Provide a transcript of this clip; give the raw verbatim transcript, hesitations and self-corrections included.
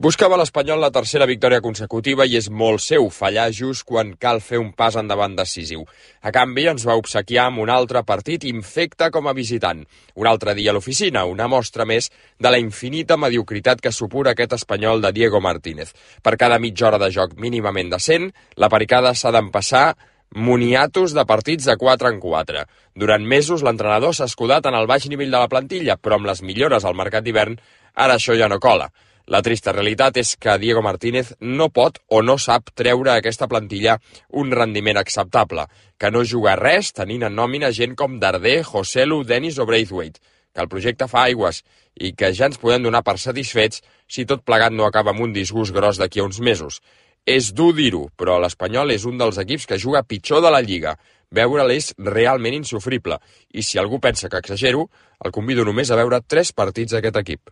Buscava l'Espanyol la tercera victòria consecutiva i és molt seu fallar just quan cal fer un pas endavant decisiu. A canvi, ens va obsequiar amb un altre partit infecte com a visitant. Un altre dia a l'oficina, una mostra més de la infinita mediocritat que supura aquest Espanyol de Diego Martínez. Per cada mitja hora de joc mínimament decent, la Pericada s'ha d'empassar moniatos de partits de quatre en quatre. Durant mesos, l'entrenador s'ha escudat en el baix nivell de la plantilla, però amb les millores al mercat d'hivern, ara això ja no cola. La trista realitat és que Diego Martínez no pot o no sap treure a aquesta plantilla un rendiment acceptable, que no juga res tenint en nòmina gent com Darder, Joselu, Dennis o Braithwaite, que el projecte fa aigües i que ja ens podem donar per satisfets si tot plegat no acaba amb un disgust gros d'aquí a uns mesos. És dur dir-ho, però l'Espanyol és un dels equips que juga pitjor de la Lliga. Veure'l és realment insofrible, i si algú pensa que exagero, el convido només a veure tres partits d'aquest equip.